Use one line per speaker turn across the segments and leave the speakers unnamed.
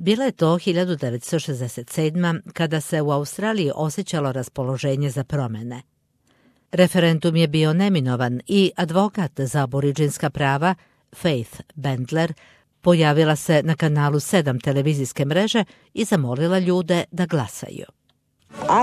Bila je to 1967. kada se u Australiji osjećalo raspoloženje za promjene. Referendum je bio neminovan i advokat za aboriđinska prava Faith Bendler pojavila se na kanalu 7 televizijske mreže i zamolila ljude da glasaju.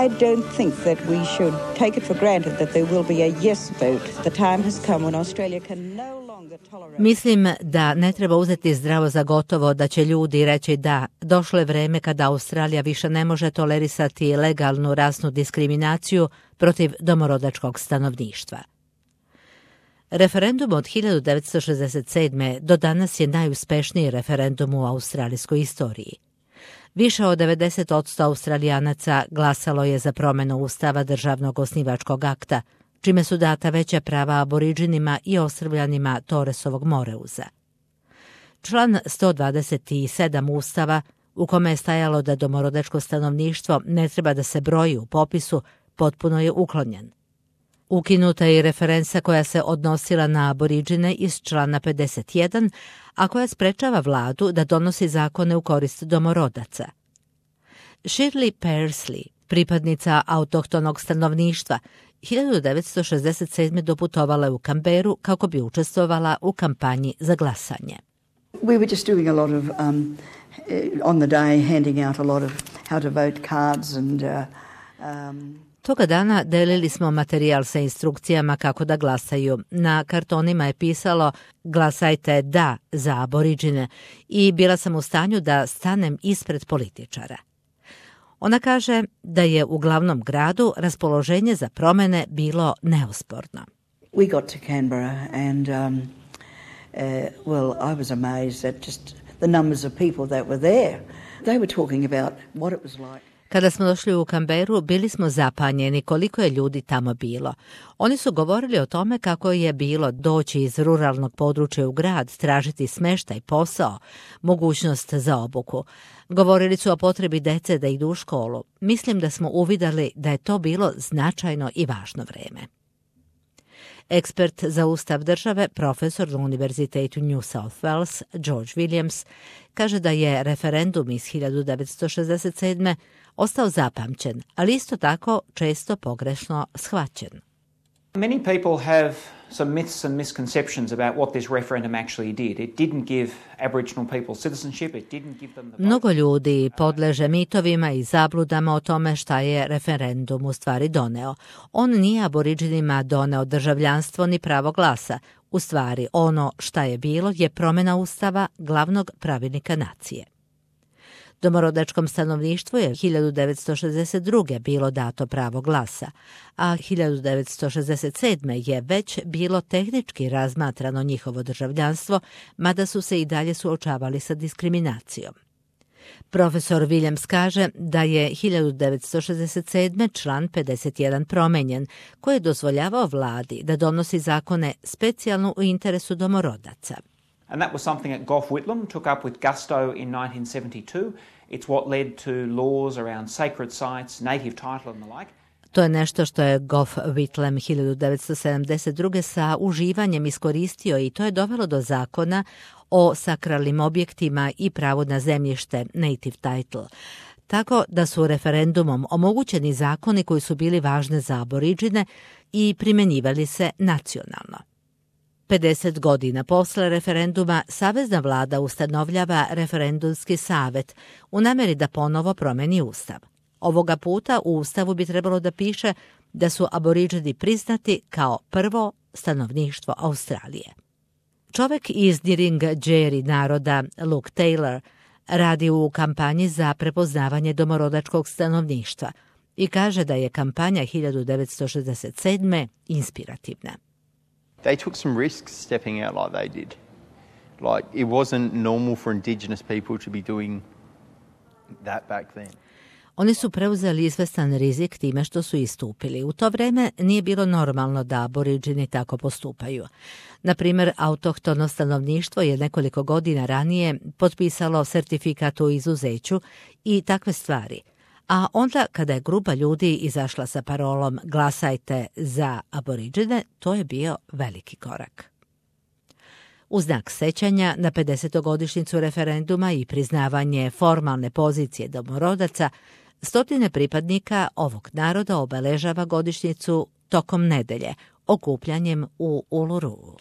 I don't think that we should take it for granted that there will be a yes vote. The time has come when Australia can no longer tolerate.
Mislim da ne treba uzeti zdravo za gotovo da će ljudi reći da, došlo je vreme kada Australija više ne može tolerisati legalnu rasnu diskriminaciju protiv domorodačkog stanovništva. Referendum od 1967. do danas je najuspešniji referendum u australijskoj istoriji. Više od 90% Australijanaca glasalo je za promjenu Ustava državnog osnivačkog akta, čime su data veća prava aboriđinima i ostrvljanima Torresovog Moreuza. Član 127 Ustava, u kome je stajalo da domorodačko stanovništvo ne treba da se broji u popisu, potpuno je uklonjen. Ukinuta je i referenca koja se odnosila na aboriđine iz člana 51, a koja sprečava vladu da donosi zakone u korist domorodaca. Shirley Persley, pripadnica autohtonog stanovništva, 1967. doputovala je u Canberru kako bi učestvovala u kampanji za glasanje.
We were just doing a lot of, on the day, handing out a lot of how to vote cards and
Toga dana delili smo materijal sa instrukcijama kako da glasaju. Na kartonima je pisalo glasajte da za aboriđine i bila sam u stanju da stanem ispred političara. Ona kaže da je u glavnom gradu raspoloženje za promjene bilo neosporno.
we got to Canberra and well, I was amazed at just the numbers of people that were there. They were talking about what it was like.
Kada smo došli u Canberru, bili smo zapanjeni koliko je ljudi tamo bilo. Oni su govorili o tome kako je bilo doći iz ruralnog područja u grad, tražiti smještaj, posao, mogućnost za obuku. Govorili su o potrebi dece da idu u školu. Mislim da smo uvidjeli da je to bilo značajno i važno vreme. Ekspert za ustav države, profesor na Univerzitetu New South Wales, George Williams, kaže da je referendum iz 1967. ostao zapamćen, ali isto tako često pogrešno shvaćen.
Many people have some myths and misconceptions about what this referendum actually did. It didn't give Aboriginal people citizenship, it didn't give them the vote.
Mnogo ljudi podleže mitovima i zabludama o tome šta je referendum u stvari doneo. On nije aboriđinima doneo državljanstvo ni pravo glasa. U stvari, ono šta je bilo je promjena ustava glavnog pravilnika nacije. Domorodačkom stanovništvu je 1962. bilo dato pravo glasa, a 1967. je već bilo tehnički razmatrano njihovo državljanstvo, mada su se i dalje suočavali sa diskriminacijom. Profesor Williams kaže da je 1967. član 51 promenjen, koji je dozvoljavao vladi da donosi zakone specijalno u interesu domorodaca.
And that was something that Gough Whitlam took up with gusto in 1972. It's what led to laws around sacred sites, native title and the like.
To je nešto što je Gough Whitlam 1972. sa uživanjem iskoristio i to je dovelo do zakona o sakralnim objektima i pravu na zemljište, native title. Tako da su referendumom omogućeni zakoni koji su bili važni za aboriđine i primjenjivali se nacionalno. 50 godina posle referenduma savezna vlada ustanovljava referendumski savet u namjeri da ponovo promeni ustav. Ovoga puta u ustavu bi trebalo da piše da su aboriđini priznati kao prvo stanovništvo Australije. Čovjek iz Nirringerri naroda, Luke Taylor, radi u kampanji za prepoznavanje domorodačkog stanovništva i kaže da je kampanja 1967. inspirativna.
They took some risks stepping out like they did. Like, it wasn't normal for Indigenous people to be doing that back then.
Oni su preuzeli izvestan rizik time što su istupili. U to vrijeme nije bilo normalno da aboriđini tako postupaju. Na primjer, autohtono stanovništvo je nekoliko godina ranije potpisalo sertifikat o izuzeću i takve stvari. A onda kada je grupa ljudi izašla sa parolom glasajte za aboriđine, to je bio veliki korak. U znak sećanja na 50. referenduma i priznavanje formalne pozicije domorodaca, stotine pripadnika ovog naroda obeležava godišnjicu tokom nedelje, okupljanjem u Uluru.